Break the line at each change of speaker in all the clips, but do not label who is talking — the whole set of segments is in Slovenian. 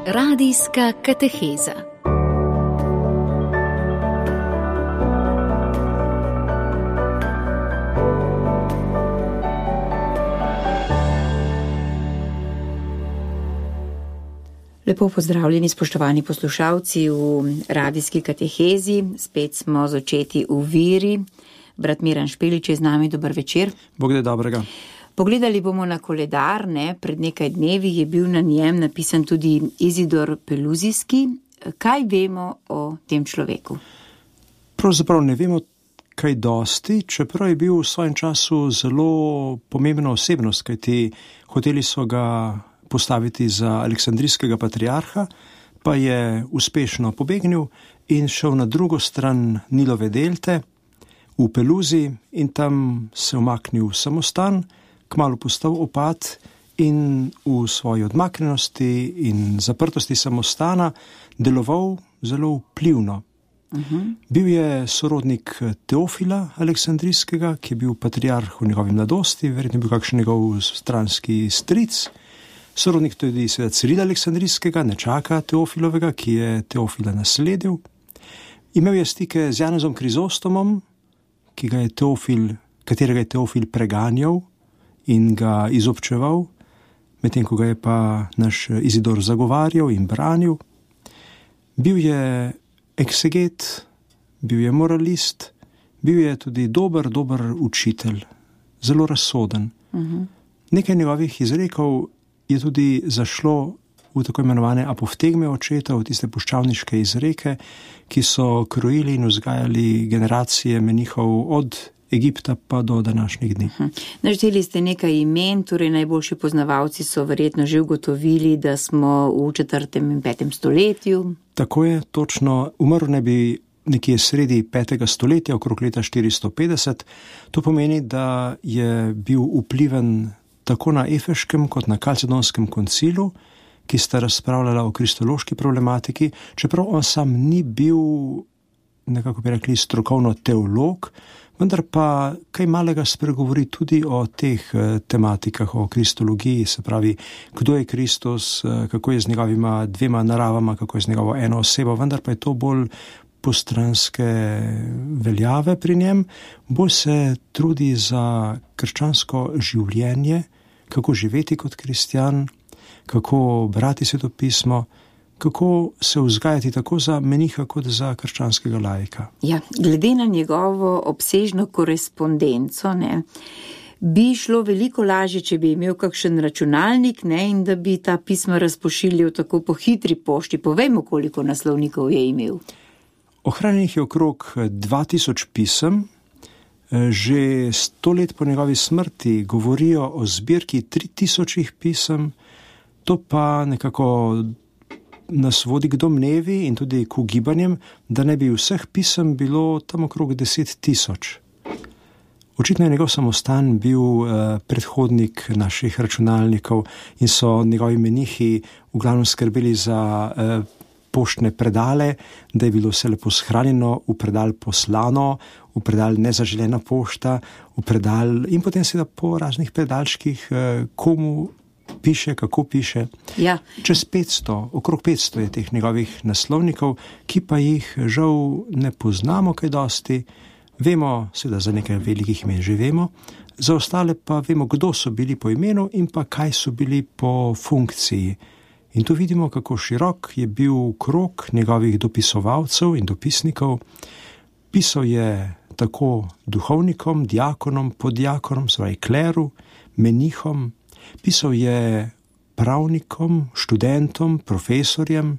Radijska kateheza. Lepo pozdravljeni, spoštovani poslušalci v radijski katehezi. Spet smo z očeti v viri. Brat Miran Špelič je z nami, dober večer.
Bog da dobrega.
Pogledali bomo na koledar, pred nekaj dnevi je bil na njem napisan tudi Izidor Peluzijski. Kaj vemo o tem človeku?
Pravzaprav ne vemo kaj dosti, čeprav je bil v svojem času zelo pomembna osebnost, kajti hoteli so ga postaviti za aleksandrijskega patriarha, pa je uspešno pobegnil in šel na drugo stran Nilove delte v Peluziji in tam se umaknil v samostan, kmalu postal opat in v svoji odmaknjenosti in zaprtosti samostana deloval zelo vplivno. Bil je sorodnik Teofila Aleksandrijskega, ki je bil patriarh v njegovi mladosti, verjetno bil kakšen njegov stranski stric. Sorodnik tudi seveda Cirila Aleksandrijskega, nečaka Teofilovega, ki je Teofila nasledil. Imel je stike z Janezom Krizostomom, katerega je Teofil preganjal in ga izobčeval, medtem ko ga je pa naš Izidor zagovarjal in branil. Bil je ekseget, bil je moralist, bil je tudi dober učitelj, zelo razsoden. Nekaj njegovih izrekov je tudi zašlo v tako imenovane apoftegme očetov, tiste puščavniške izreke, ki so krojili in vzgajali generacije menihov od Egipta pa do današnjih dni.
Našteli ste nekaj imen, torej najboljši poznavalci so verjetno že ugotovili, da smo v 4. in 5. stoletju.
Tako je, točno. Umrl ne bi nekje sredi 5. stoletja, okrog leta 450. To pomeni, da je bil vpliven tako na Efeškem kot na Kalcedonskem koncilu, ki sta razpravljala o kristološki problematiki, čeprav on sam ni bil, nekako bi rekli, strokovno teolog, vendar pa kaj malega spregovori tudi o teh tematikah, o kristologiji, se pravi, kdo je Kristus, kako je z njegovima dvema naravama, kako je z njegovo eno osebo, vendar pa je to bolj postranske veljave pri njem, bolj se trudi za krščansko življenje, kako živeti kot kristjan, kako brati svetopismo, kako se vzgajati tako za meniha kot za krščanskega laika.
Ja, glede na njegovo obsežno korespondenco, bi šlo veliko lažje, če bi imel kakšen računalnik, in da bi ta pisma razpošiljal tako po hitri pošti. Povejmo, koliko naslovnikov je imel.
Ohranjenih je okrog 2000 pisem, že 100 let po njegovi smrti govorijo o zbirki 3000 pisem, to pa nekako nas vodi k domnevi in tudi k ugibanjem, da ne bi vseh pisem bilo tam okrog 10 000. Očitno je njegov samostan bil predhodnik naših računalnikov in so njegovi menihi v glavnem skrbeli za poštne predale, da je bilo vse lepo shranjeno, v predal poslano, v predal nezaželena pošta, v predal in potem seveda po raznih predalčkih, komu piše, kako piše.
Ja.
Čez 500, okrog 500 je teh njegovih naslovnikov, ki pa jih žal ne poznamo kaj dosti. Vemo, seveda za nekaj velikih imen že vemo, za ostale pa vemo, kdo so bili po imenu in pa kaj so bili po funkciji. In tu vidimo, kako širok je bil krog njegovih dopisovalcev in dopisnikov. Pisal je tako duhovnikom, diakonom, poddiakonom, svoji kleru, menihom. Pisal je pravnikom, študentom, profesorjem.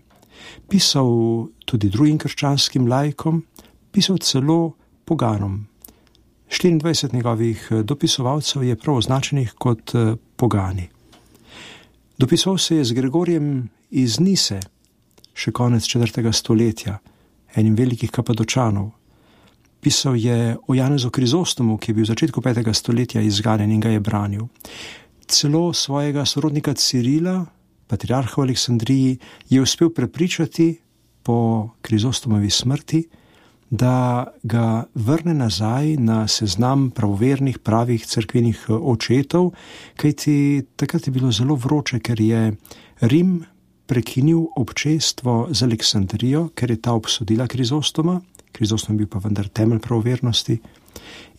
Pisal tudi drugim krščanskim laikom. Pisal celo poganom. 24 njegovih dopisovalcev je prav označenih kot pogani. Dopisoval se je z Gregorijem iz Nise, še konec 4. stoletja, enim velikih Kapadočanov. Pisal je o Janezu Krizostomu, ki je bil v začetku 5. stoletja izganjen in ga je branil. Celo svojega sorodnika Cirila, patriarha v Aleksandriji, je uspel prepričati po Krizostomovi smrti, da ga vrne nazaj na seznam pravovernih, pravih cerkvenih očetov, kajti takrat je bilo zelo vroče, ker je Rim prekinil občestvo z Aleksandrijo, ker je ta obsodila Krizostoma. Krizostom je bil pa vendar temelj pravovernosti.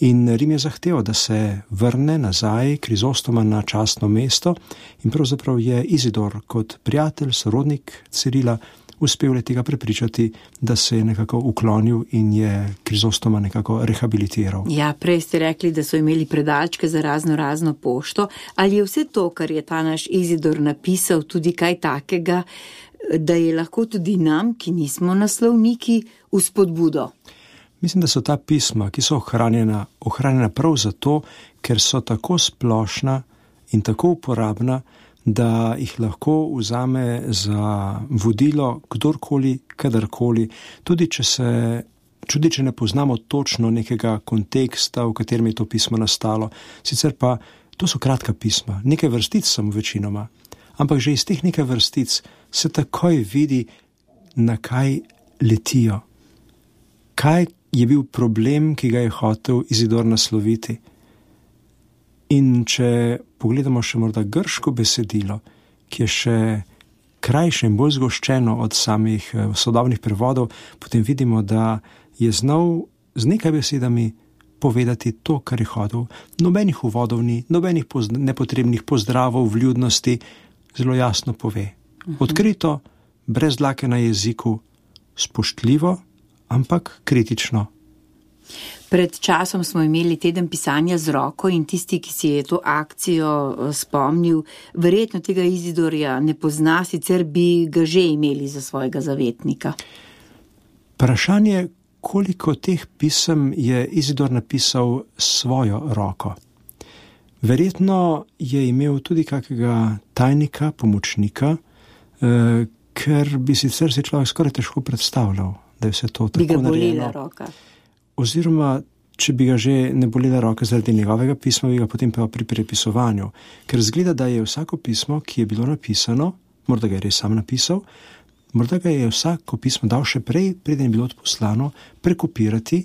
In Rim je zahteval, da se vrne nazaj Krizostoma na častno mesto in pravzaprav je Izidor kot prijatelj, sorodnik Cirila uspel le tega prepričati, da se je nekako uklonil in je Krizostoma nekako rehabilitiral.
Ja, prej ste rekli, da so imeli predalčke za razno pošto. Ali je vse to, kar je ta naš Izidor napisal, tudi kaj takega, da je lahko tudi nam, ki nismo naslovniki, vzpodbudo?
Mislim, da so ta pisma, ki so ohranjena prav zato, ker so tako splošna in tako uporabna, da jih lahko vzame za vodilo kdorkoli, kadarkoli, tudi če ne poznamo točno nekega konteksta, v katerem je to pismo nastalo. Sicer pa to so kratka pisma, nekaj vrstic samo večinoma, ampak že iz teh nekaj vrstic se takoj vidi, na kaj letijo. Kaj je bil problem, ki ga je hotel Izidor nasloviti. In če pogledamo še morda grško besedilo, ki je še krajše in bolj zgoščeno od samih sodobnih prevodov, potem vidimo, da je znal z nekaj besedami povedati to, kar je hotel. Nobenih uvodov ni, nobenih nepotrebnih pozdravov, vljudnosti, zelo jasno pove. Odkrito, brez dlake na jeziku, spoštljivo, ampak kritično.
Pred časom smo imeli teden pisanja z roko in tisti, ki si je to akcijo spomnil, verjetno tega Izidorja ne pozna, sicer bi ga že imeli za svojega zavetnika.
Vprašanje, koliko teh pisem je Izidor napisal svojo roko. Verjetno je imel tudi kakega tajnika, pomočnika, ker bi sicer si človek skoraj težko predstavljal, da je vse to tako narejeno. Bi ga
bolela roka.
Oziroma, če bi ga že ne bolela roka zaradi njegovega pisma, bi ga potem pa pri prepisovanju. Ker zgleda, da je vsako pismo, ki je bilo napisano, morda ga je res sam napisal, morda ga je vsako pismo dal še prej, preden je bilo odposlano, prekopirati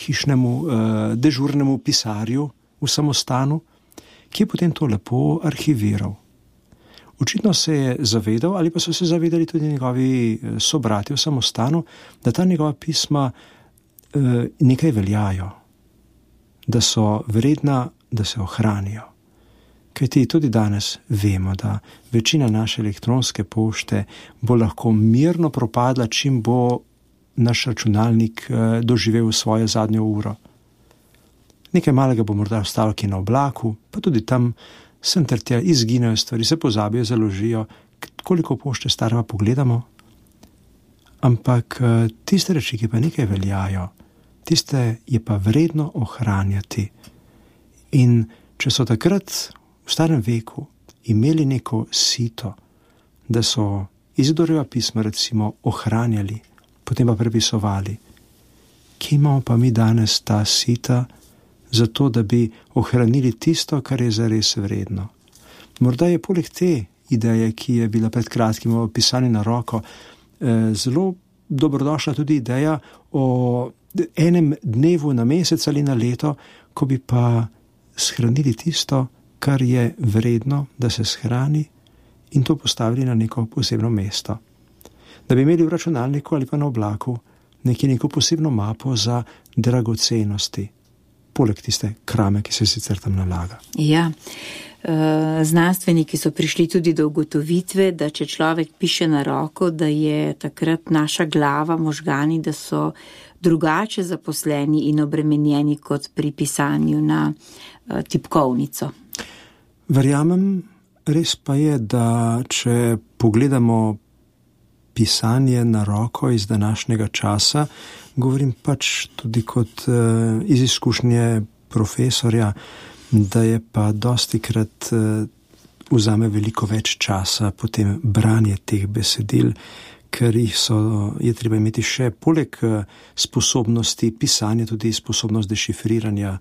hišnemu, dežurnemu pisarju v samostanu, ki je potem to lepo arhiviral. Očitno se je zavedal, ali pa so se zavedali tudi njegovi sobrati v samostanu, da ta njegova pisma nekaj veljajo, da so vredna, da se ohranijo. Kajti tudi danes vemo, da večina naše elektronske pošte bo lahko mirno propadla, čim bo naš računalnik doživel svojo zadnjo uro. Nekaj malega bo morda ostalo ki na oblaku, pa tudi tam sem ter tja izginejo stvari, se pozabijo, založijo, koliko pošte starega pogledamo. Ampak tiste reči, ki pa nekaj veljajo, tiste je pa vredno ohranjati. In če so takrat v starem veku imeli neko sito, da so Izidorjeva pisma recimo ohranjali, potem pa prepisovali, kje imamo pa mi danes ta sita, zato da bi ohranili tisto, kar je zares vredno. Morda je poleg te ideje, ki je bila pred kratkim o pisanju na roko, zelo dobrodošla tudi ideja o enem dnevu na mesec ali na leto, ko bi pa shranili tisto, kar je vredno, da se shrani, in to postavili na neko posebno mesto. Da bi imeli v računalniku ali pa na oblaku neko posebno mapo za dragocenosti, poleg tiste krame, ki se sicer tam nalaga.
Ja, znanstveniki so prišli tudi do ugotovitve, da če človek piše na roko, da je takrat naša glava, možgani, da so drugače zaposleni in obremenjeni kot pri pisanju na tipkovnico.
Verjamem, res pa je, da če pogledamo pisanje na roko iz današnjega časa, govorim pač tudi kot iz izkušnje profesorja, da je pa dostikrat vzame veliko več časa potem branje teh besedil, ker je treba imeti še poleg sposobnosti pisanja tudi sposobnost dešifriranja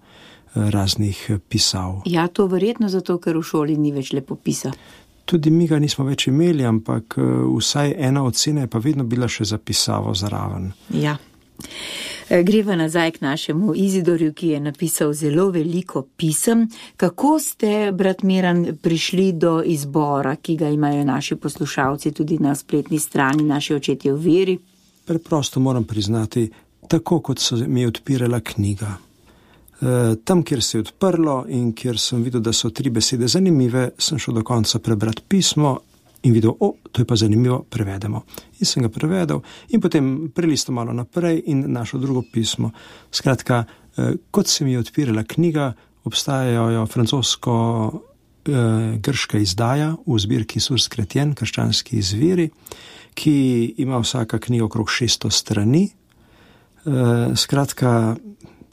raznih pisav.
Ja, to verjetno zato, ker v šoli ni več lepopisa.
Tudi mi ga nismo več imeli, ampak vsaj ena ocena je pa vedno bila še za pisavo zraven.
Ja. Greva nazaj k našemu Izidorju, ki je napisal zelo veliko pisem. Kako ste, brat Miran, prišli do izbora, ki ga imajo naši poslušalci tudi na spletni strani Naši očetje v veri?
Preprosto moram priznati, tako kot se mi je odpirala knjiga. Tam, kjer se je odprlo in kjer sem videl, da so 3 besede zanimive, sem šel do konca prebrati pismo in videl, to je pa zanimivo, prevedemo. In sem ga prevedel in potem prelistal malo naprej in našel drugo pismo. Skratka, kot se mi je odpirala knjiga, obstajajo francosko-grška izdaja v zbirki Sources Chrétiennes, krščanski izviri, ki ima vsaka knjiga okrog 600 strani. Skratka,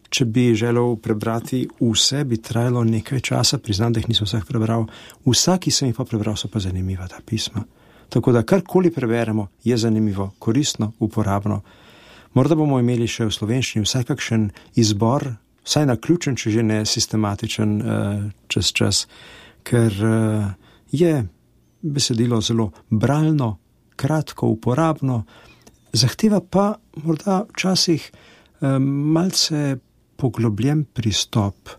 če bi želel prebrati vse, bi trajalo nekaj časa, priznam, da jih nisem vseh prebral. Vsa, ki sem jih pa prebral, so pa zanimiva ta pisma. Tako da karkoli preberemo, je zanimivo, koristno, uporabno. Morda bomo imeli še v slovenščini vsaj kakšen izbor, vsaj naključen, če že ne sistematičen čez čas, ker je besedilo zelo bralno, kratko, uporabno, zahteva pa morda včasih malce poglobljen pristop.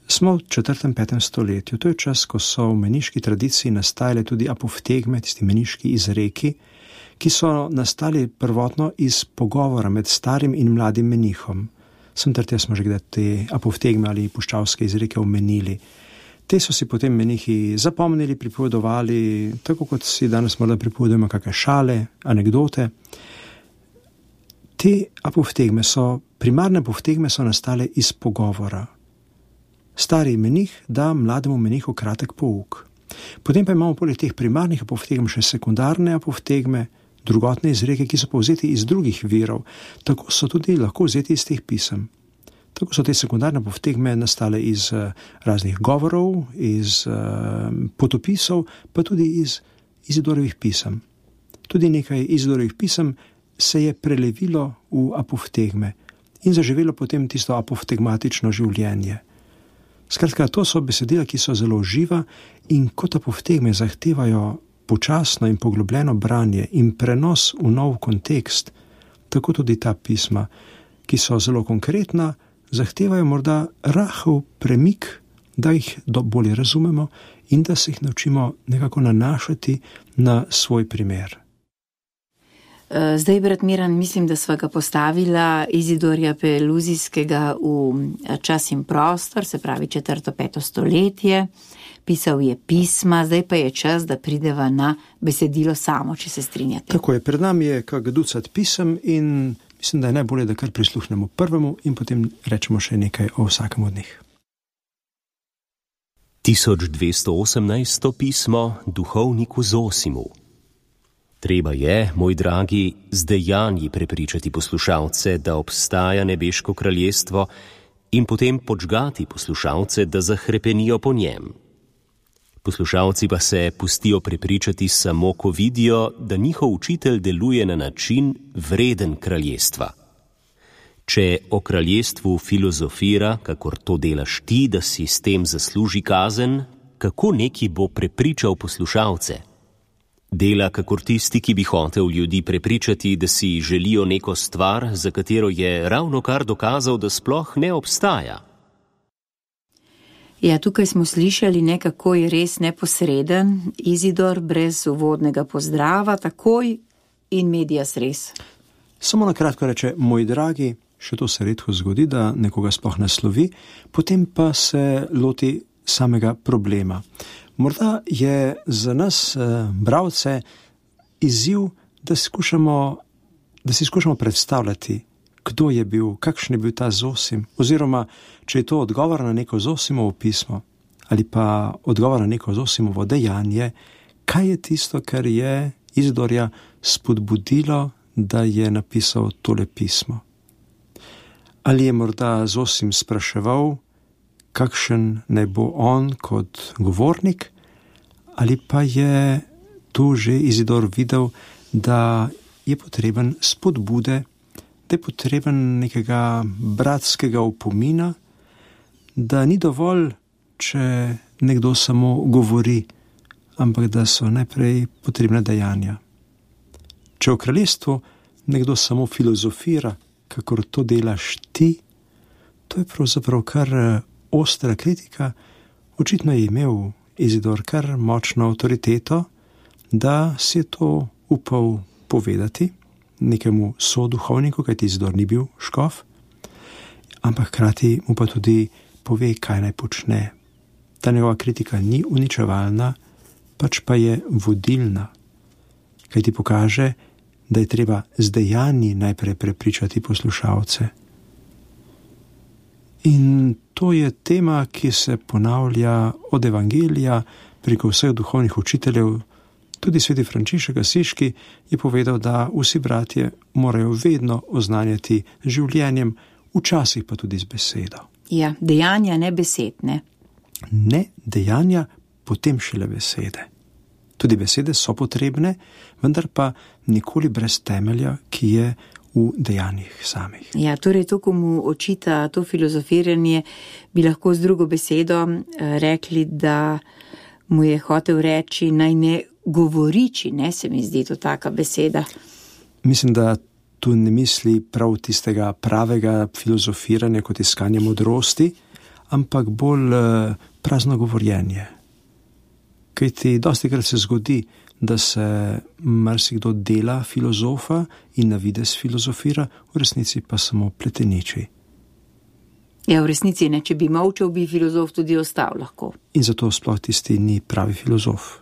Smo v 4.-5. stoletju, to je čas, ko so v meniški tradiciji nastajale tudi apoftegme, tisti meniški izreki, ki so nastali prvotno iz pogovora med starim in mladim menihom. Sem trdja smo že kdaj te apoftegme ali puščavske izreke omenili. Te so si potem menihi zapomnili, pripovedovali, tako kot si danes morda pripovedujemo kakšne šale, anekdote. Te primarne apoftegme so nastale iz pogovora. Stari menih da mlademu menihu kratek pouk. Potem pa imamo poleg teh primarnih apoftegm še sekundarne apoftegme, drugotne izreke, ki so povzeti iz drugih virov, tako so tudi lahko vzeti iz teh pisem. Tako so te sekundarne apoftegme nastale iz raznih govorov, iz potopisov, pa tudi iz Izidorjevih pisem. Tudi nekaj Izidorjevih pisem se je prelevilo v apoftegme in zaživelo potem tisto apoftegmatično življenje. Skratka, to so besedila, ki so zelo živa in kot apoftegme zahtevajo počasno in poglobljeno branje in prenos v nov kontekst, tako tudi ta pisma, ki so zelo konkretna, zahtevajo morda rahel premik, da jih bolje razumemo in da se jih naučimo nekako nanašati na svoj primer.
Zdaj, brat Miran, mislim, da sva ga postavila Izidorja Peluzijskega v čas in prostor, se pravi 4.-5. stoletje. Pisal je pisma, zdaj pa je čas, da prideva na besedilo samo, če se strinjate.
Tako je, pred nami je kak ducat pisem in mislim, da je najbolje, da kar prisluhnemo prvemu in potem rečemo še nekaj o vsakem od njih.
1218. pismo duhovniku Zosimu. Treba je, moj dragi, z dejanji prepričati poslušalce, da obstaja nebeško kraljestvo in potem podžgati poslušalce, da zahrepenijo po njem. Poslušalci pa se pustijo prepričati samo, ko vidijo, da njihov učitelj deluje na način vreden kraljestva. Če o kraljestvu filozofira, kakor to delaš ti, da si s tem zasluži kazen, kako neki bo prepričal poslušalce? Dela kakor tisti, ki bi hotel ljudi prepričati, da si želijo neko stvar, za katero je ravno kar dokazal, da sploh ne obstaja.
Ja, tukaj smo slišali nekako je res neposreden Izidor, brez uvodnega pozdrava, takoj in medias res.
Samo na kratko reče, moj dragi, še to se redko zgodi, da nekoga sploh naslovi, potem pa se loti samega problema. Morda je za nas, bralce, izziv, da si skušamo predstavljati, kdo je bil, kakšen je bil ta Zosim, oziroma če je to odgovor na neko Zosimovo pismo ali pa odgovor na neko Zosimovo dejanje, kaj je tisto, kar je Izidorja spodbudilo, da je napisal tole pismo. Ali je morda Zosim spraševal, kakšen naj bo on kot govornik, ali pa je tu že Izidor videl, da je potreben spodbude, da je potreben nekega bratskega opomina, da ni dovolj, če nekdo samo govori, ampak da so najprej potrebna dejanja. Če v kraljestvu nekdo samo filozofira, kakor to delaš ti, to je pravzaprav kar ostra kritika. Očitno je imel Izidor kar močno avtoriteto, da si je to upal povedati nekemu soduhovniku, kajti Izidor ni bil škof, ampak hkrati mu pa tudi pove, kaj naj počne. Ta njegova kritika ni uničevalna, pač pa je vodilna, kajti pokaže, da je treba z dejanji najprej prepričati poslušalce. In to je tema, ki se ponavlja od Evangelija preko vseh duhovnih učiteljev. Tudi sveti Frančišek Asiški je povedal, da vsi bratje morajo vedno oznanjati z življenjem, včasih pa tudi z besedo.
Ja, dejanja, ne besed, ne?
Ne dejanja, potem šele besede. Tudi besede so potrebne, vendar pa nikoli brez temelja, ki je v dejanjih samih.
Ja, torej to, ko mu očita to filozofiranje, bi lahko z drugo besedo rekli, da mu je hotel reči, naj ne govoriči, ne, se mi zdi to taka beseda.
Mislim, da tu ne misli prav tistega pravega filozofiranja kot iskanje modrosti, ampak bolj prazno govorjenje. Kajti dostikrat se zgodi, da se marsikdo dela filozofa in na videz filozofira, v resnici pa samo pleteniči.
Ja, v resnici ne, če bi molčal, bi filozof tudi ostal lahko.
In zato sploh tisti ni pravi filozof.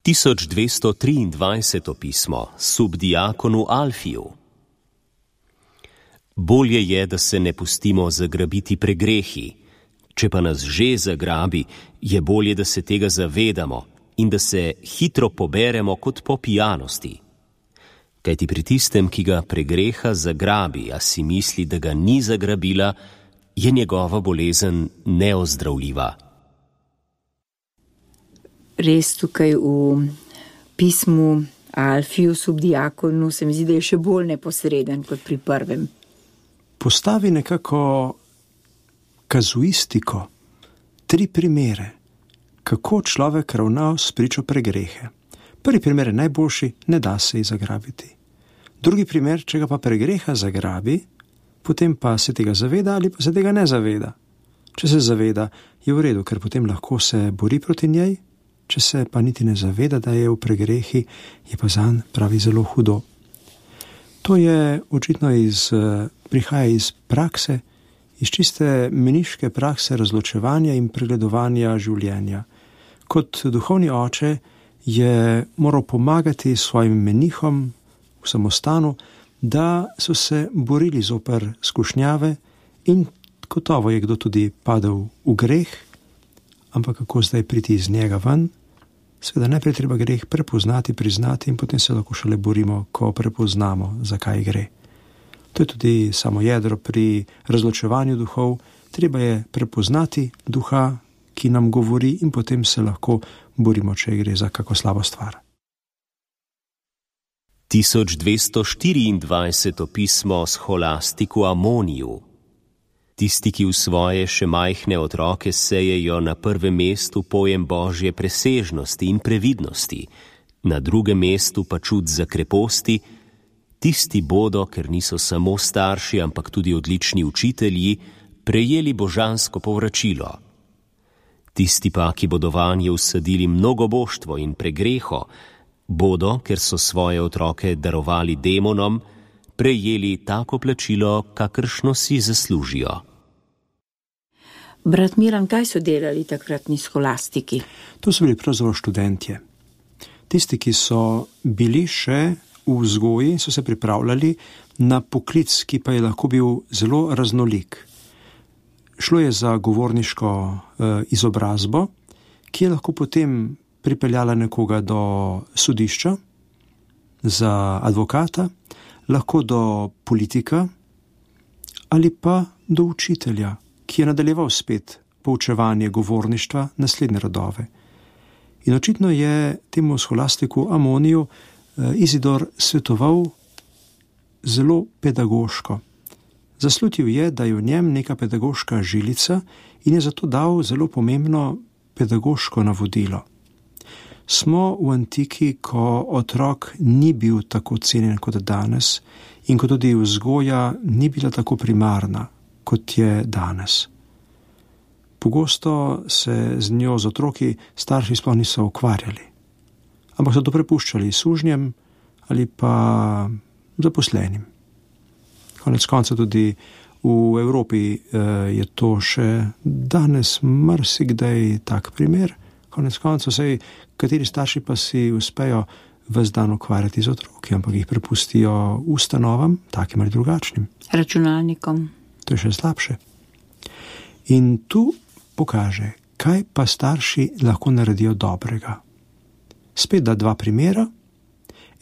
1223. pismo subdiakonu Alfiju. Bolje je, da se ne pustimo zagrabiti pregrehi. Če pa nas že zagrabi, je bolje, da se tega zavedamo in da se hitro poberemo kot po pijanosti. Kajti pri tistem, ki ga pregreha zagrabi, a si misli, da ga ni zagrabila, je njegova bolezen neozdravljiva.
Res tukaj v pismu Alfiju subdiakonu se mi zdi, da je še bolj neposreden kot pri prvem.
Postavi nekako kazuistiko, 3 primere, kako človek ravna s pričo pregrehe. Prvi primer je najboljši, ne da se ji zagrabiti. Drugi primer, če ga pa pregreha zagrabi, potem pa se tega zaveda ali pa se tega ne zaveda. Če se zaveda, je v redu, ker potem lahko se bori proti njej, če se pa niti ne zaveda, da je v pregrehi, je pa zanj pravi zelo hudo. To je očitno prihaja iz prakse, iz čiste meniške prakse razločevanja in pregledovanja življenja. Kot duhovni oče je moral pomagati svojim menihom v samostanu, da so se borili zoper skušnjave in gotovo je kdo tudi padel v greh, ampak kako zdaj priti iz njega ven? Seveda najprej treba greh prepoznati, priznati in potem se lahko šele borimo, ko prepoznamo, zakaj gre. To je tudi samo jedro pri razločevanju duhov. Treba je prepoznati duha, ki nam govori in potem se lahko borimo, če gre za kako slabo stvar.
1224. pismo scholastiku Amoniju. Tisti, ki v svoje še majhne otroke sejejo na prvem mestu pojem Božje presežnosti in previdnosti, na drugem mestu pa čut za kreposti, tisti bodo, ker niso samo starši, ampak tudi odlični učitelji, prejeli božansko povračilo. Tisti pa, ki bodo vanje vsadili mnogoboštvo in pregreho, bodo, ker so svoje otroke darovali demonom, prejeli tako plačilo, kakršno si zaslužijo.
Brat Miran, kaj so delali takratni scholastiki?
To so bili pravzaprav študentje. Tisti, ki so bili še v vzgoji, so se pripravljali na poklic, ki pa je lahko bil zelo raznolik. Šlo je za govorniško izobrazbo, ki je lahko potem pripeljala nekoga do sodišča, za advokata, lahko do politika ali pa do učitelja, ki je nadaljeval spet poučevanje govorništva naslednje rodove. In očitno je temu scholastiku Amoniju Izidor svetoval zelo pedagoško. Zaslutil je, da je v njem neka pedagoška žilica in je zato dal zelo pomembno pedagoško navodilo. Smo v antiki, ko otrok ni bil tako cenjen kot danes in ko tudi vzgoja ni bila tako primarna, kot je danes. Pogosto se z njo z otroki starši sploh niso ukvarjali, ampak so to prepuščali sužnjem ali pa zaposlenim. Konec konca tudi v Evropi je to še danes marsikdaj tak primer. Konec konca kateri starši pa si uspejo ves dan ukvarjati z otroki, ampak jih prepustijo ustanovam, takim ali drugačnim.
Računalnikom.
To je še slabše. In tu pokaže, kaj pa starši lahko naredijo dobrega. Spet da dva primera.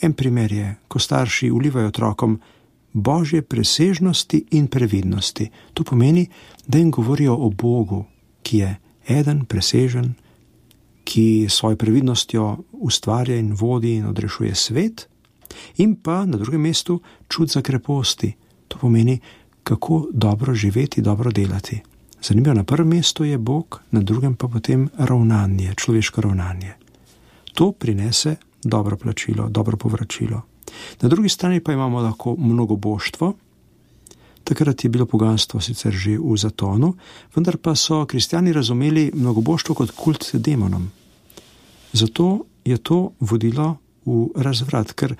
En primer je, ko starši vlivajo otrokom božje presežnosti in previdnosti. To pomeni, da jim govorijo o Bogu, ki je eden, presežen, ki svojo previdnostjo ustvarja in vodi in odrešuje svet, in pa na drugem mestu čut za kreposti. To pomeni, kako dobro živeti, dobro delati. Zanimivo, na prvem mestu je Bog, na drugem pa potem ravnanje, človeško ravnanje. To prinese dobro plačilo, dobro povračilo. Na drugi strani pa imamo lahko mnogoboštvo. Takrat je bilo poganstvo sicer že v zatonu, vendar pa so kristjani razumeli mnogoboštvo kot kult demonom. Zato je to vodilo v razvrat, ker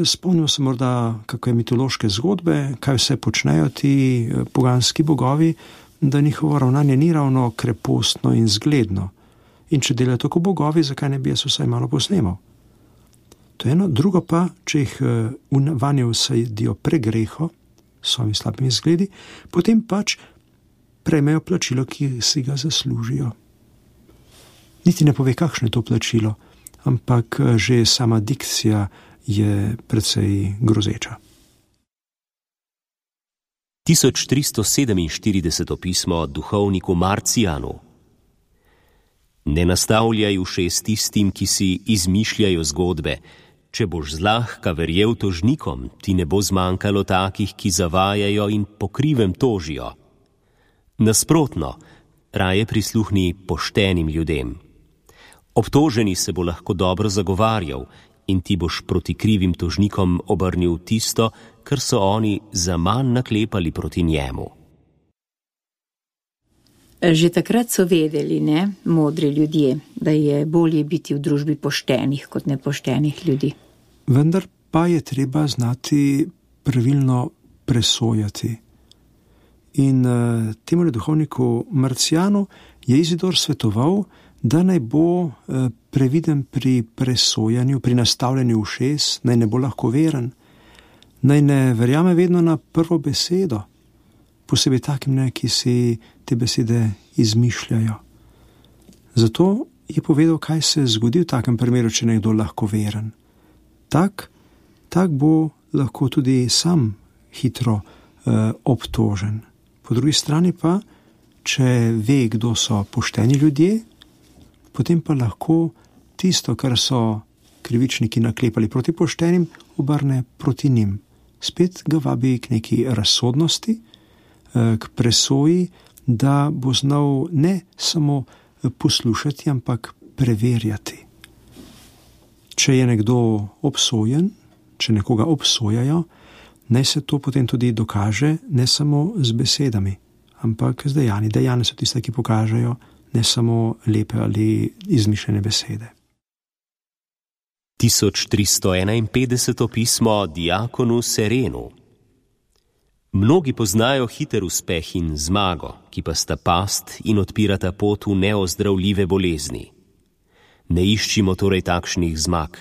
spomnimo se morda kakšne mitološke zgodbe, kaj vse počnejo ti poganski bogovi, da njihovo ravnanje ni ravno krepostno in zgledno. In če delajo tako bogovi, zakaj ne bi jaz vsaj malo posnemal? To je eno, drugo pa, če jih vanje vsedijo pregreho, s svojimi slabimi zgledi, potem pač prejmejo plačilo, ki si ga zaslužijo. Niti ne pove, kakšno je to plačilo, ampak že sama dikcija je precej grozeča.
1347. pismo duhovniku Marcijanu. Ne nastavljaj ušes tistim, ki si izmišljajo zgodbe. Če boš zlahka verjel tožnikom, ti ne bo zmanjkalo takih, ki zavajajo in po krivem tožijo. Nasprotno, raje prisluhni poštenim ljudem. Obtoženi se bo lahko dobro zagovarjal in ti boš proti krivim tožnikom obrnil tisto, kar so oni zaman naklepali proti njemu.
Že takrat so vedeli, modri ljudje, da je bolje biti v družbi poštenih kot nepoštenih ljudi.
Vendar pa je treba znati pravilno presojati. In temu duhovniku Marcijanu je Izidor svetoval, da naj bo previden pri presojanju, pri nastavljanju ušes, naj ne bo lahkoveren, naj ne verjame vedno na prvo besedo, posebej takim, ki si te besede izmišljajo. Zato je povedal, kaj se zgodi v takem primeru, če nekdo lahkoveren. Tak bo lahko tudi sam hitro obtožen. Po drugi strani pa, če ve, kdo so pošteni ljudje, potem pa lahko tisto, kar so krivičniki naklepali proti poštenim, obrne proti njim. Spet ga vabi k neki razsodnosti, k presoji, da bo znal ne samo poslušati, ampak preverjati. Če je nekdo obsojen, če nekoga obsojajo, naj se to potem tudi dokaže ne samo z besedami, ampak z dejanji. Dejanja so tiste, ki pokažejo, ne samo lepe ali izmišljene besede.
1351. pismo diakonu Serenu. Mnogi poznajo hiter uspeh in zmago, ki pa sta past in odpirata pot v neozdravljive bolezni. Ne iščimo torej takšnih zmag,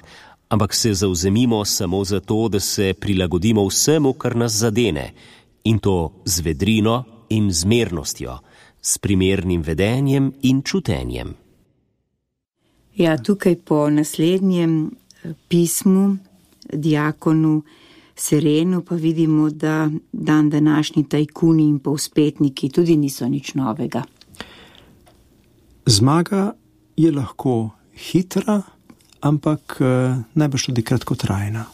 ampak se zavzemimo samo za to, da se prilagodimo vsemu, kar nas zadene, in to z vedrino in zmernostjo, s primernim vedenjem in čutenjem.
Ja, tukaj po naslednjem pismu diakonu Serenu pa vidimo, da dan današnji tajkuni in povzpetniki tudi niso nič novega.
Zmaga je lahko hitra, ampak najbrž tudi kratkotrajna.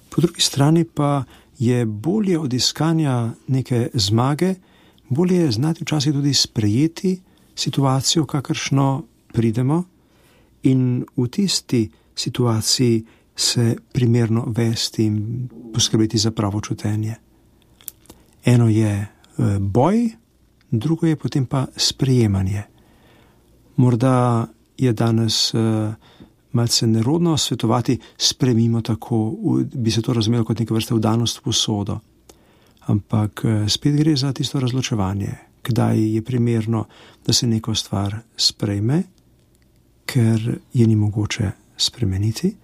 Po drugi strani pa je bolje od iskanja neke zmage, bolje je znati včasih tudi sprejeti situacijo, kakršno pridemo, in v tisti situaciji se primerno vesti in poskrbeti za pravo čutenje. Eno je boj, drugo je potem pa sprejemanje. Morda je danes malce nerodno svetovati, sprejmimo tako, bi se to razumelo kot neka vrsta vdanost v usodo. Ampak spet gre za tisto razločevanje, kdaj je primerno, da se neko stvar sprejme, ker je ni mogoče spremeniti,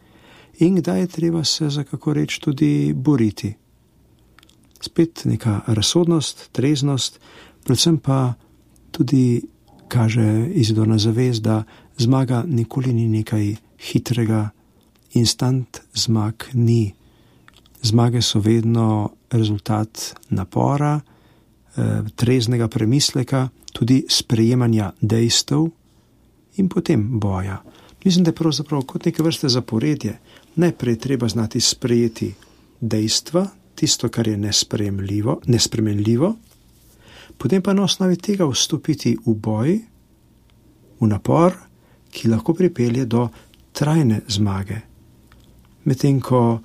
in kdaj je treba se za kako reč tudi boriti. Spet neka razsodnost, treznost, predvsem pa tudi kaže Izidorna zavest, da zmaga nikoli ni nekaj hitrega, instant zmag ni. Zmage so vedno rezultat napora, treznega premisleka, tudi sprejemanja dejstev in potem boja. Mislim, da je pravzaprav kot neke vrste zaporedje. Najprej treba znati sprejeti dejstva, tisto, kar je nespremenljivo, potem pa na osnovi tega vstopiti v boj, v napor, ki lahko pripelje do trajne zmage. Medtem ko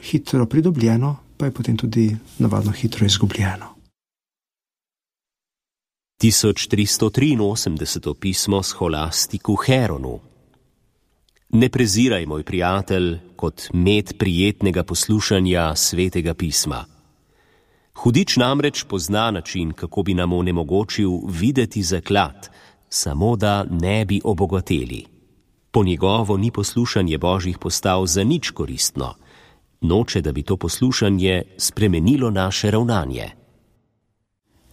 hitro pridobljeno, pa je potem tudi navadno hitro izgubljeno.
1383. pismo scholastiku Heronu. Ne preziraj, moj prijatelj, kot med prijetnega poslušanja svetega pisma. Hudič namreč pozna način, kako bi nam onemogočil videti zaklad, samo da ne bi obogateli. Po njegovo ni poslušanje Božjih postav za nič koristno. Noče, da bi to poslušanje spremenilo naše ravnanje.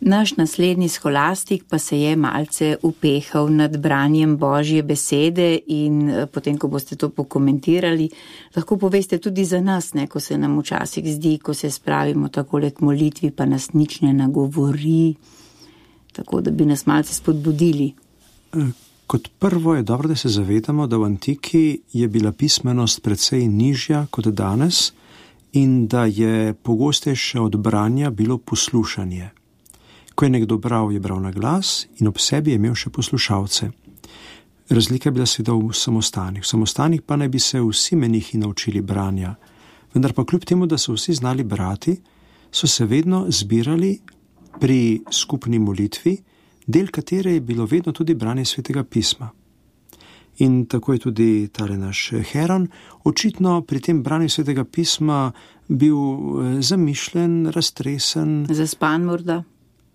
Naš naslednji scholastik pa se je malce upehal nad branjem Božje besede in potem, ko boste to pokomentirali, lahko poveste tudi za nas, ne, ko se nam včasih zdi, ko se spravimo takole k molitvi, pa nas nič ne nagovori, tako da bi nas malce spodbudili.
Kot prvo je dobro, da se zavedamo, da v antiki je bila pismenost precej nižja kot danes in da je pogostejše od branja bilo poslušanje. Ko je nekdo bral, je bral na glas in ob sebi je imel še poslušalce. Razlika je bila seveda v samostanih. V samostanih pa naj bi se vsi menihi naučili branja. Vendar pa kljub temu, da so vsi znali brati, so se vedno zbirali pri skupni molitvi, del katere je bilo vedno tudi branje svetega pisma. In tako je tudi tale naš Heron očitno pri tem branju svetega pisma bil zamišljen, raztresen.
Zaspan morda.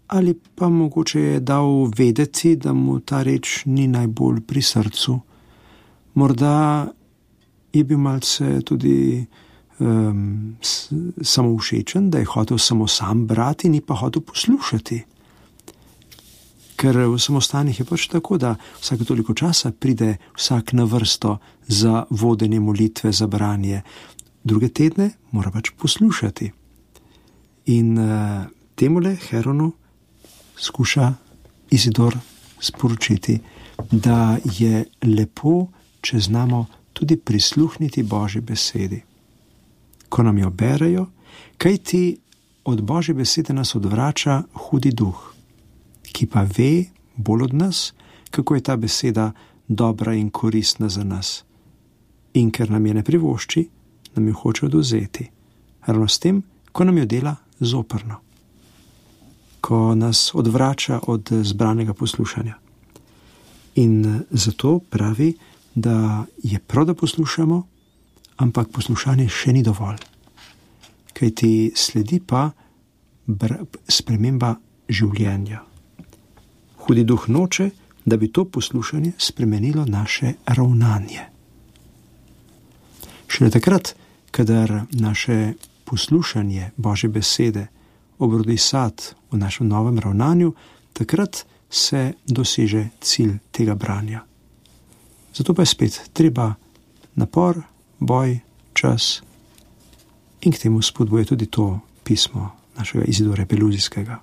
Ali pa mogoče je dal vedeti, da mu ta reč ni najbolj pri srcu. Morda je bil malce tudi samovšečen, da je hotel samo sam brati, ni pa hotel poslušati. Ker v samostanih je pač tako, da vsake toliko časa pride vsak na vrsto za vodenje molitve, za branje. Druge tedne mora pač poslušati. In temule Heronu skuša Izidor sporočiti, da je lepo, če znamo tudi prisluhniti Božji besedi. Ko nam jo berejo, kajti od Božje besede nas odvrača hudi duh, ki pa ve bolj od nas, kako je ta beseda dobra in koristna za nas. In ker nam je ne privošči, nam jo hoče odvzeti. Ravno s tem, ko nam jo dela zoprno. Ko nas odvrača od zbranega poslušanja. In zato pravi, da je prav, da poslušamo, ampak poslušanje še ni dovolj. Kajti sledi pa sprememba življenja. Hudi duh noče, da bi to poslušanje spremenilo naše ravnanje. Šele takrat, kadar naše poslušanje Božje besede obrodi sad v našem novem ravnanju, takrat se doseže cilj tega branja. Zato pa je spet treba napor, boj, čas in k temu spodbuje tudi to pismo našega Izidora Peluzijskega.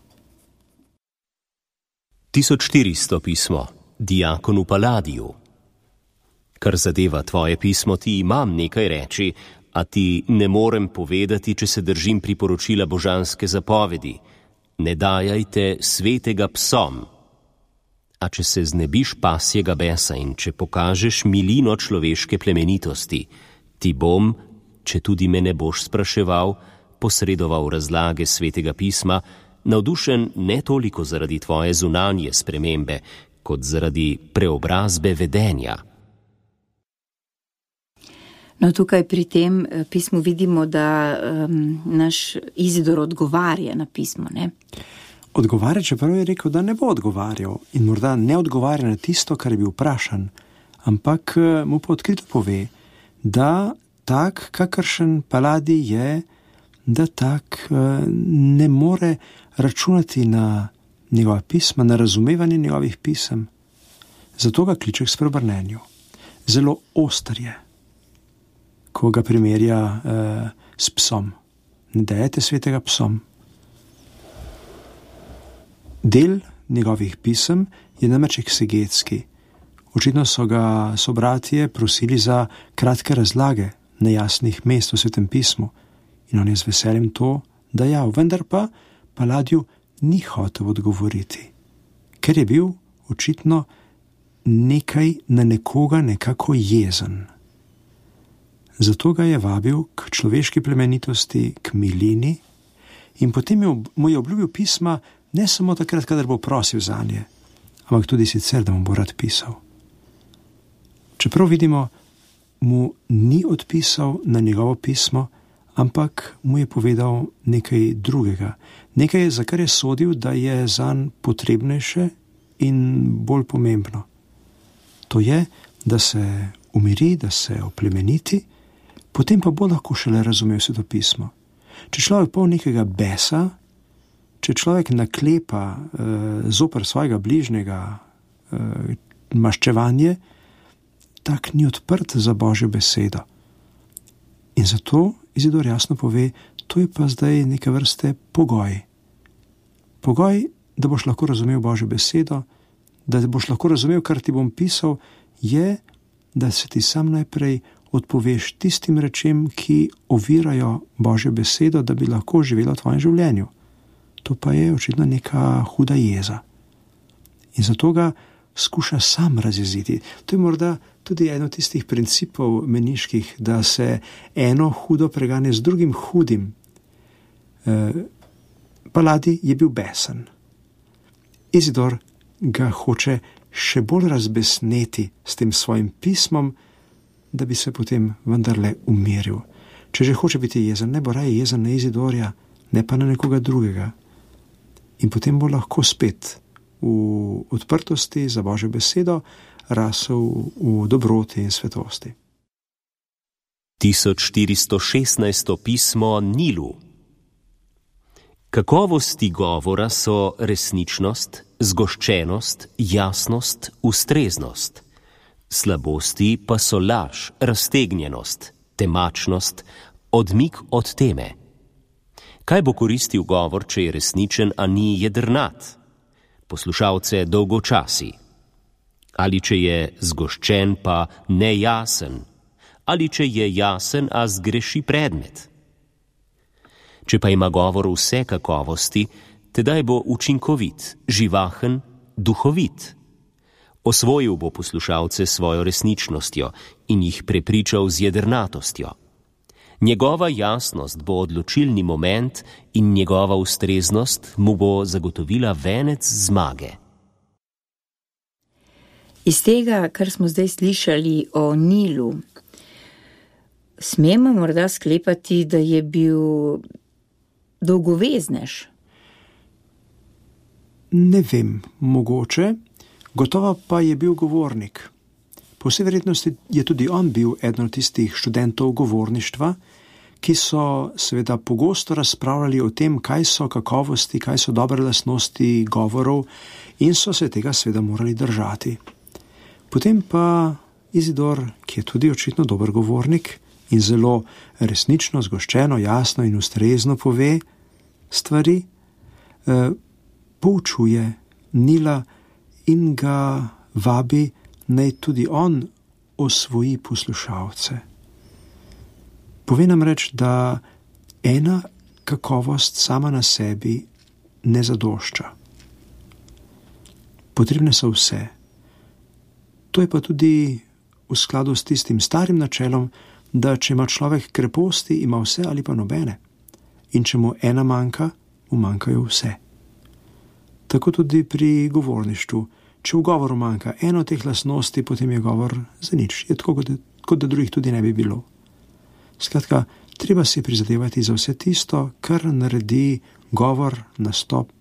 1400. pismo diakonu Paladiju. Kar zadeva tvoje pismo, ti imam nekaj reči, a ti ne morem povedati, če se držim priporočila božanske zapovedi. Ne dajajte svetega psom. A če se znebiš pasjega besa in če pokažeš milino človeške plemenitosti, ti bom, če tudi me ne boš spraševal, posredoval razlage Svetega pisma, navdušen ne toliko zaradi tvoje zunanje spremembe, kot zaradi preobrazbe vedenja.
No, tukaj pri tem pismu vidimo, da naš Izidor odgovarja na pismo, ne?
Odgovarja, čeprav je rekel, da ne bo odgovarjal in morda ne odgovarja na tisto, kar je bil vprašan, ampak mu pa odkrito pove, da tak, kakršen Paladi je, da tak ne more računati na njegova pisma, na razumevanje njegovih pisem. Zato ga kliče k spreobrnenju. Zelo oster je, ko ga primerja s psom. Ne dajete svetega psom. Del njegovih pisem je namreč eksegetski. Očitno so ga sobratje prosili za kratke razlage nejasnih mest v Svetem pismu in on je z veseljem to dajal, vendar pa Paladiju ni hotel odgovoriti, ker je bil očitno nekaj na nekoga nekako jezen. Zato ga je vabil k človeški plemenitosti, k milini in potem mu je obljubil pisma ne samo takrat, kadar bo prosil zanje, ampak tudi sicer, da mu bo rad pisal. Čeprav vidimo, mu ni odpisal na njegovo pismo, ampak mu je povedal nekaj drugega. Nekaj, za kar je sodil, da je zanj potrebnejše in bolj pomembno. To je, da se umiri, da se oplemeniti, potem pa bo lahko šele razumel Sveto pismo. Če človek pol nekega besa, če človek naklepa zoper svojega bližnjega maščevanje, tak ni odprt za Božjo besedo. In zato Izidor jasno pove, to je pa zdaj neke vrste pogoj. Pogoj, da boš lahko razumel Božjo besedo, da boš lahko razumel, kar ti bom pisal, je, da se ti sam najprej odpoveš tistim rečem, ki ovirajo Božjo besedo, da bi lahko živela v tvojem življenju. To pa je očitno neka huda jeza. In zato ga skuša sam razjeziti. To je morda tudi eno od tistih principov meniških, da se eno hudo preganja z drugim hudim. Paladi je bil besen. Izidor ga hoče še bolj razbesneti s tem svojim pismom, da bi se potem vendarle umiril. Če že hoče biti jezen, ne bo raje jezen na Izidorja, ne pa na nekoga drugega. In potem bo lahko spet v odprtosti za Božjo besedo rasel v dobroti in svetosti.
1416. pismo Nilu. Kakovosti govora so resničnost, zgoščenost, jasnost, ustreznost. Slabosti pa so laž, raztegnjenost, temačnost, odmik od teme. Kaj bo koristil govor, če je resničen, a ni jedrnat? Poslušalce dolgočasi. Ali če je zgoščen, pa nejasen? Ali če je jasen, a zgreši predmet? Če pa ima govor vse kakovosti, tedaj bo učinkovit, živahen, duhovit. Osvojil bo poslušalce svojo resničnostjo in jih prepričal z jedrnatostjo. Njegova jasnost bo odločilni moment in njegova ustreznost mu bo zagotovila venec zmage.
Iz tega, kar smo zdaj slišali o Nilu, smemo morda sklepati, da je bil dolgoveznež?
Ne vem, mogoče. Gotovo pa je bil govornik. Po vsej verjetnosti je tudi on bil eden od tistih študentov govorništva, ki so seveda pogosto razpravljali o tem, kaj so kakovosti, kaj so dobre lastnosti govorov in so se tega seveda morali držati. Potem pa Izidor, ki je tudi očitno dober govornik in zelo resnično, zgoščeno, jasno in ustrezno pove stvari, poučuje Nila in ga vabi, naj tudi on osvoji poslušalce. Pove nam reč, da ena kakovost sama na sebi ne zadošča. Potrebne so vse. To je pa tudi v skladu s tistim starim načelom, da če ima človek kreposti, ima vse ali pa nobene. In če mu ena manjka, mu manjkajo vse. Tako tudi pri govorništvu. Če v govoru manjka eno od teh lastnosti, potem je govor za nič. Je tako, kot da drugih tudi ne bi bilo. Skratka, treba si prizadevati za vse tisto, kar naredi govor, nastop,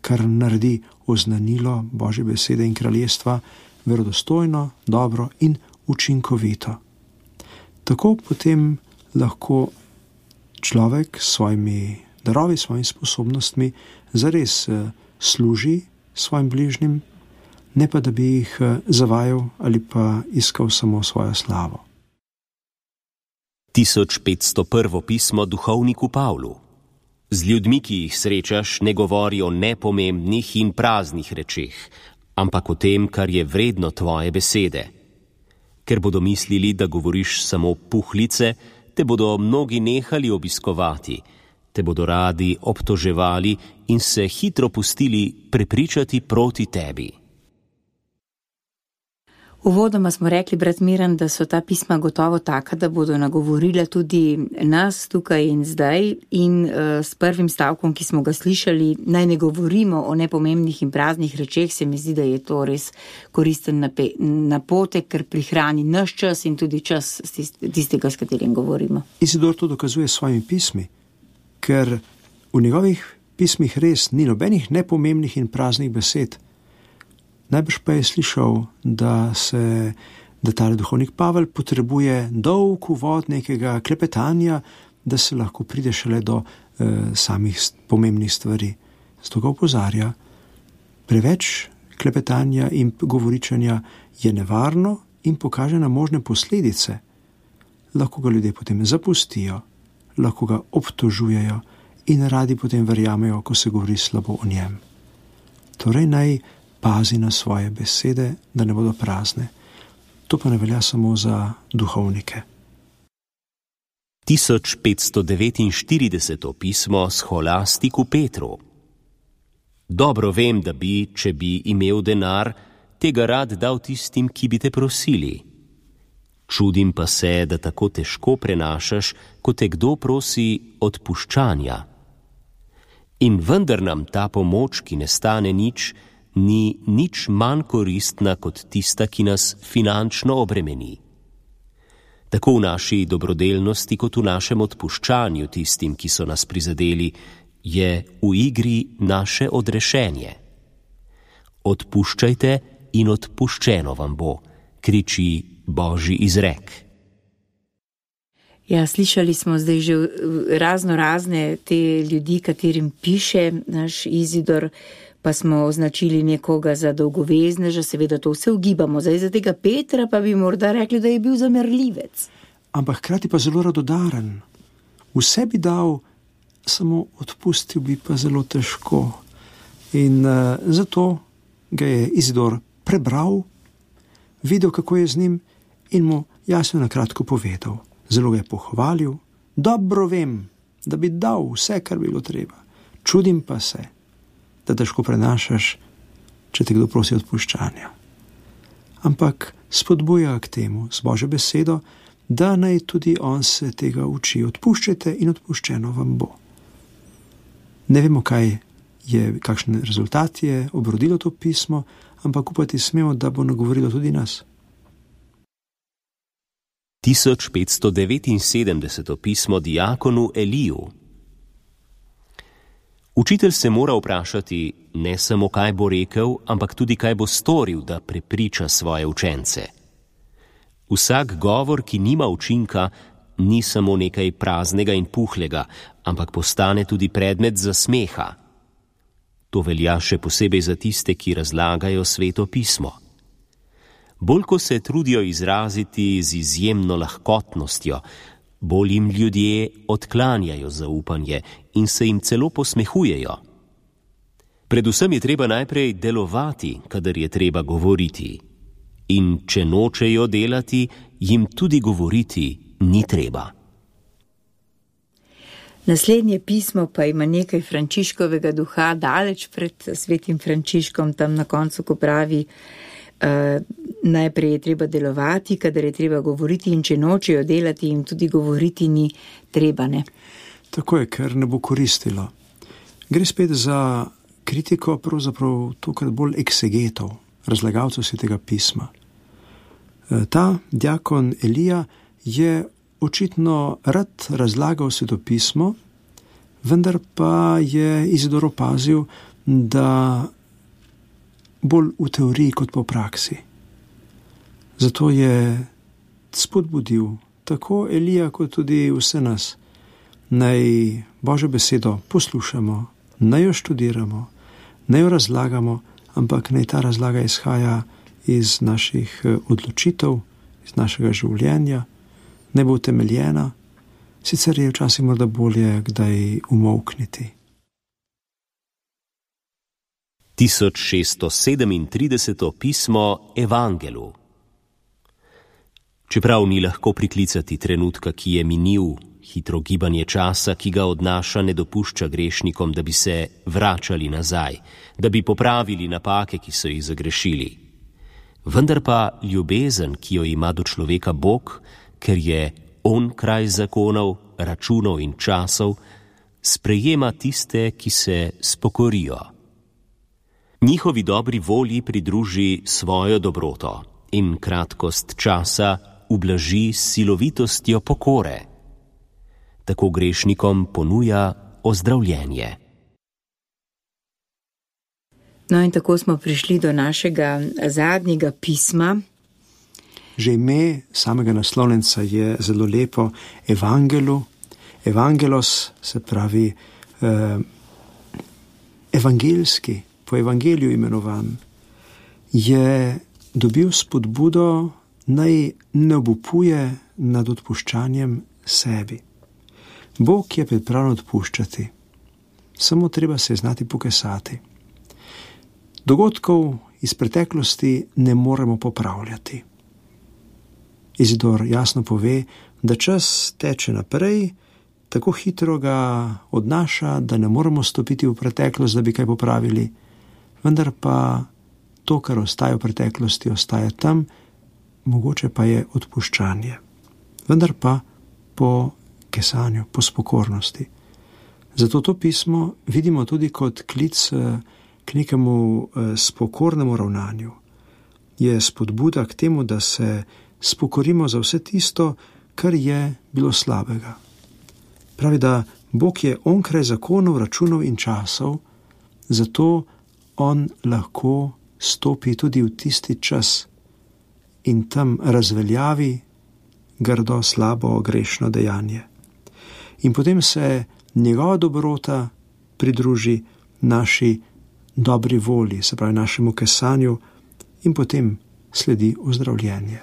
kar naredi oznanilo Božje besede in kraljestva verodostojno, dobro in učinkovito. Tako potem lahko človek s svojimi darovi, svojimi sposobnostmi zares služi svojim bližnjim, ne pa da bi jih zavajal ali pa iskal samo svojo slavo.
1501. pismo duhovniku Pavlu. Z ljudmi, ki jih srečaš, ne govori o nepomembnih in praznih rečeh, ampak o tem, kar je vredno tvoje besede. Ker bodo mislili, da govoriš samo puhlice, te bodo mnogi nehali obiskovati, te bodo radi obtoževali in se hitro pustili prepričati proti tebi.
Uvodoma smo rekli, brat Miran, da so ta pisma gotovo taka, da bodo nagovorila tudi nas tukaj in zdaj, in s prvim stavkom, ki smo ga slišali, naj ne govorimo o nepomembnih in praznih rečeh, se mi zdi, da je to res koristen napotek, ker prihrani naš čas in tudi čas tistega, s katerim govorimo.
Izidor to dokazuje s svojimi pismi, ker v njegovih pismih res ni nobenih nepomembnih in praznih besed. Najbrž pa je slišal, da tale duhovnik Pavel potrebuje dolg uvod nekega klepetanja, da se lahko pride šele do samih pomembnih stvari. Zato ga opozarja, preveč klepetanja in govoričanja je nevarno in pokaže na možne posledice. Lahko ga ljudje potem zapustijo, lahko ga obtožujejo in radi potem verjamejo, ko se govori slabo o njem. Torej naj pazi na svoje besede, da ne bodo prazne. To pa ne velja samo za duhovnike.
1549. pismo scholastiku Petru. Dobro vem, da bi, če bi imel denar, tega rad dal tistim, ki bi te prosili. Čudim pa se, da tako težko prenašaš, ko te kdo prosi odpuščanja. In vendar nam ta pomoč, ki ne stane nič, ni nič manj koristna kot tista, ki nas finančno obremeni. Tako v naši dobrodelnosti kot v našem odpuščanju tistim, ki so nas prizadeli, je v igri naše odrešenje. Odpuščajte in odpuščeno vam bo, kriči Božji izrek.
Ja, slišali smo zdaj že razne te ljudi, katerim piše naš Izidor, pa smo označili nekoga za dolgovezneža, seveda to vse ugibamo. Zdaj za tega Petra pa bi morda rekli, da je bil zamerljivec.
Ampak hkrati pa zelo radodaren. Vse bi dal, samo odpustil bi pa zelo težko. In zato ga je Izidor prebral, videl, kako je z njim in mu jasno na kratko povedal. Zelo ga je pohvalil. Dobro vem, da bi dal vse, kar bi bilo treba. Čudim pa se, da težko prenašaš, če te kdo prosi odpuščanja. Ampak spodbuja k temu z Božjo besedo, da naj tudi on se tega uči. Odpuščajte in odpuščeno vam bo. Ne vemo, kakšen rezultat je obrodilo to pismo, ampak upati smemo, da bo nagovorilo tudi nas.
1579. pismo diakonu Eliju. Učitelj se mora vprašati ne samo, kaj bo rekel, ampak tudi, kaj bo storil, da prepriča svoje učence. Vsak govor, ki nima učinka, ni samo nekaj praznega in puhlega, ampak postane tudi predmet zasmeha. To velja še posebej za tiste, ki razlagajo Sveto pismo. Bolj ko se trudijo izraziti z izjemno lahkotnostjo, bolj jim ljudje odklanjajo zaupanje in se jim celo posmehujejo. Predvsem je treba najprej delovati, kadar je treba govoriti. In če nočejo delati, jim tudi govoriti ni treba.
Naslednje pismo pa ima nekaj Frančiškovega duha, daleč pred svetim Frančiškom, tam na koncu, ko pravi, najprej je treba delovati, kadar je treba govoriti, in če nočejo delati, jim tudi govoriti ni treba, ne?
Tako je, ker ne bo koristilo. Gre spet za kritiko, pravzaprav tokrat bolj eksegetov, razlagalcev svetega pisma. Ta diakon Elija je očitno rad razlagal svetopismo, vendar pa je Izidor opazil, da bolj v teoriji kot po praksi. Zato je spodbudil tako Elija kot tudi vse nas, naj Božjo besedo poslušamo, naj jo študiramo, naj jo razlagamo, ampak naj ta razlaga izhaja iz naših odločitev, iz našega življenja, naj bo utemeljena, sicer je včasih morda bolje kdaj umolkniti.
1637. pismo Evangelu. Čeprav ni lahko priklicati trenutka, ki je minil, hitro gibanje časa, ki ga odnaša, ne dopušča grešnikom, da bi se vračali nazaj, da bi popravili napake, ki so jih zagrešili. Vendar pa ljubezen, ki jo ima do človeka Bog, ker je on kraj zakonov, računov in časov, sprejema tiste, ki se spokorijo. Njihovi dobri volji pridruži svojo dobroto in kratkost časa ublaži s silovitostjo pokore. Tako grešnikom ponuja ozdravljenje.
No in tako smo prišli do našega zadnjega pisma.
Že ime samega naslovljenca je zelo lepo, Evangelu. Evangelos se pravi evangelski, po evangeliju imenovan, je dobil spodbudo, naj ne obupuje nad odpuščanjem sebi. Bog je pripravljen odpuščati, samo treba se znati pokesati. Dogodkov iz preteklosti ne moremo popravljati. Izidor jasno pove, da čas teče naprej, tako hitro ga odnaša, da ne moremo stopiti v preteklost, da bi kaj popravili, vendar pa to, kar ostaje v preteklosti, ostaje tam, mogoče pa je odpuščanje. Vendar pa po kesanju, po spokornosti. Zato to pismo vidimo tudi kot klic k nekemu spokornemu ravnanju. Je spodbuda k temu, da se spokorimo za vse tisto, kar je bilo slabega. Pravi, da Bog je onkraj zakonov, računov in časov, zato on lahko stopi tudi v tisti čas in tam razveljavi grdo, slabo, grešno dejanje. In potem se njegova dobrota pridruži naši dobri volji, se pravi našemu kesanju, in potem sledi ozdravljenje.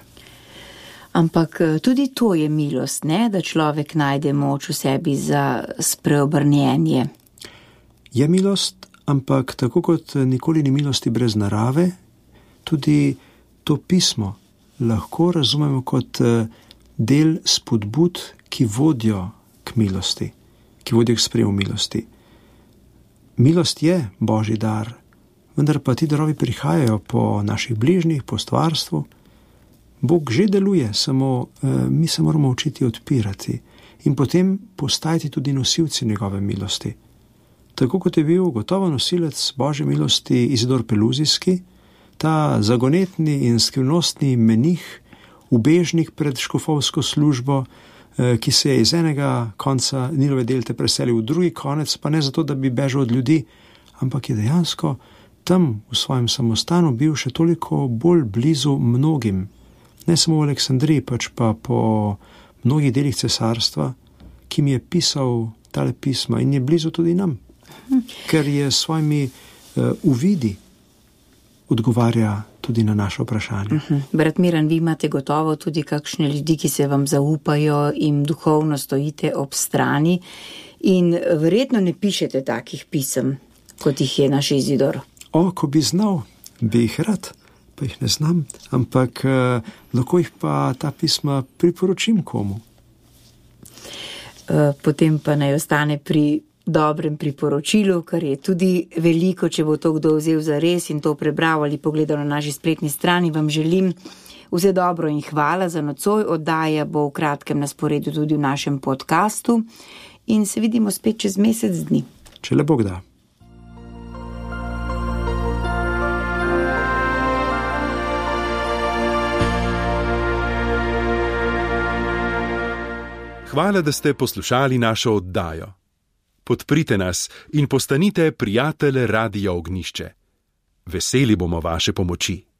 Ampak tudi to je milost, ne? Da človek najde moč v sebi za spreobrnjenje.
Je milost, ampak tako kot nikoli ni milosti brez narave, tudi to pismo lahko razumemo kot del spodbud, ki vodijo k milosti, ki vodijo k sprejemu milosti. Milost je Božji dar, vendar pa ti darovi prihajajo po naših bližnjih, po stvarstvu. Bog že deluje, samo mi se moramo učiti odpirati in potem postajati tudi nosilci njegove milosti. Tako kot je bil gotovo nosilec Božje milosti Izidor Peluzijski, ta zagonetni in skrivnostni menih, ubežnik pred škofovsko službo, ki se je iz enega konca Nilove delte preselil v drugi konec, pa ne zato, da bi bežal od ljudi, ampak je dejansko tam v svojem samostanu bil še toliko bolj blizu mnogim, ne samo v Aleksandriji, pač pa po mnogih delih cesarstva, ki mi je pisal tale pisma in je blizu tudi nam, ker je s svojimi uvidi odgovarja tudi na naše vprašanje.
Brat Miran, vi imate gotovo tudi kakšne ljudi, ki se vam zaupajo in duhovno stojite ob strani in verjetno ne pišete takih pisem, kot jih je naš Izidor.
Ko bi znal, bi jih rad, pa jih ne znam, ampak lahko jih pa ta pisma priporočim komu.
potem pa naj ostane pri dobrem priporočilu, kar je tudi veliko, če bo to kdo vzel za res in to prebral ali pogledal na naši spletni strani. Vam želim vse dobro in hvala za nocoj. Oddaja bo v kratkem na sporedu tudi v našem podcastu in se vidimo spet čez mesec dni.
Če le Bog da.
Hvala, da ste poslušali našo oddajo. Podprite nas in postanite prijatelj Radia Ognjišče. Veseli bomo vaše pomoči.